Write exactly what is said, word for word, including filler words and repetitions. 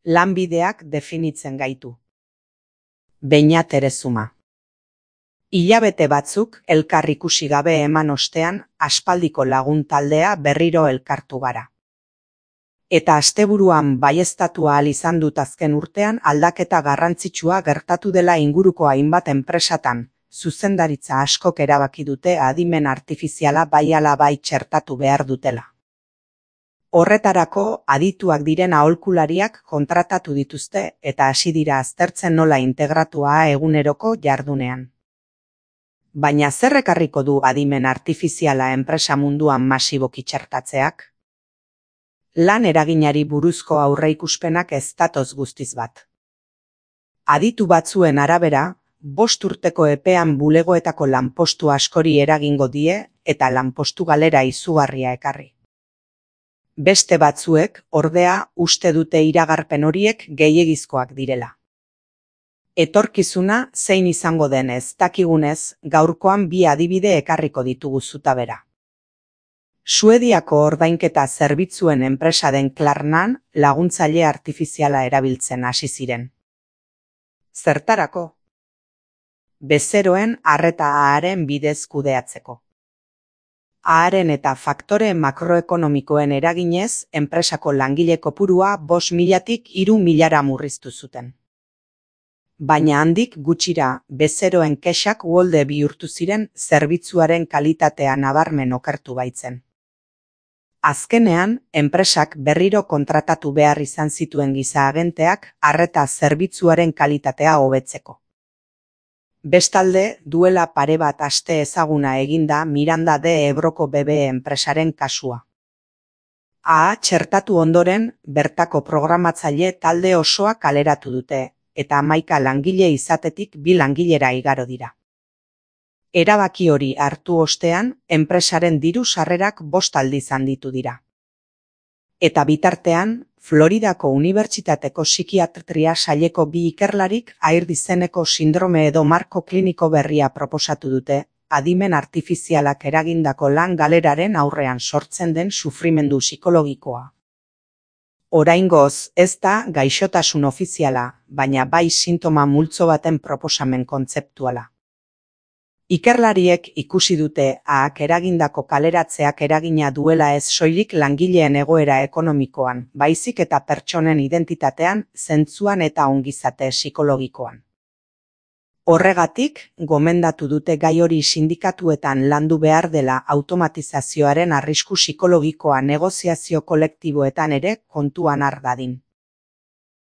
Lanbideak definitzen gaitu. Beñat Erezuma. Hilabete batzuk elkar ikusi gabe eman ostean, aspaldiko lagun taldea berriro elkartu gara. Eta asteburuan baieztatu ahal izan dut azken urtean aldaketa garrantzitsua gertatu dela inguruko hainbat enpresatan, zuzendaritza askok erabaki dute adimen artifiziala bai ala bai txertatu behar dutela. Horretarako adituak diren aholkulariak kontratatu dituzte eta hasi dira aztertzen nola integratua eguneroko jardunean. Baina zer ekarriko du adimen artifiziala enpresa munduan masiboki txertatzeak? Lan eraginari buruzko aurreikuspenak ez datoz guztiz bat. Aditu batzuen arabera, bost urteko epean bulegoetako lanpostu askori eragingo die eta lanpostu galera izugarria ekarri. Beste batzuek, ordea, uste dute iragarpen horiek gehiegizkoak direla. Etorkizuna zein izango den ez dakigunez, gaurkoan bi adibide ekarriko ditugu zutabera. Suediako ordainketa zerbitzuen enpresa den Klarnan laguntzaile artifiziala erabiltzen hasi ziren. Zertarako? Bezeroen arreta aharen bidez kudeatzeko. Aharen eta faktore makroekonomikoen eraginez, enpresako langile kopurua bost milatik hiru milara murriztu zuten. Baina handik gutxira, bezeroen kexak uholde bihurtu ziren zerbitzuaren kalitatea nabarmen okertu baitzen. Azkenean, enpresak berriro kontratatu behar izan zituen giza agenteak arreta zerbitzuaren kalitatea hobetzeko. Bestalde, duela pare bat aste ezaguna eginda Miranda de Ebroko B B enpresaren kasua. A txertatu ondoren, bertako programatzaile talde osoa kaleratu dute, eta hamaika langile izatetik bi langilera igaro dira. Erabaki hori hartu ostean, enpresaren diru sarrerak bost aldiz handitu dira. Eta bitartean, Floridako Unibertsitateko psikiatria saileko bi ikerlarik Air izeneko sindrome edo marko kliniko berria proposatu dute, adimen artifizialak eragindako lan galeraren aurrean sortzen den sufrimendu psikologikoa. Oraingoz ez da gaixotasun ofiziala, baina bai sintoma multzo baten proposamen kontzeptuala. Ikerlariek ikusi dute ahak eragindako kaleratzeak eragina duela ez soilik langileen egoera ekonomikoan, baizik eta pertsonen identitatean, zentzuan eta ongizate psikologikoan. Horregatik, gomendatu dute gai hori sindikatuetan landu behar dela automatizazioaren arrisku psikologikoa negoziazio kolektiboetan ere kontuan har dadin.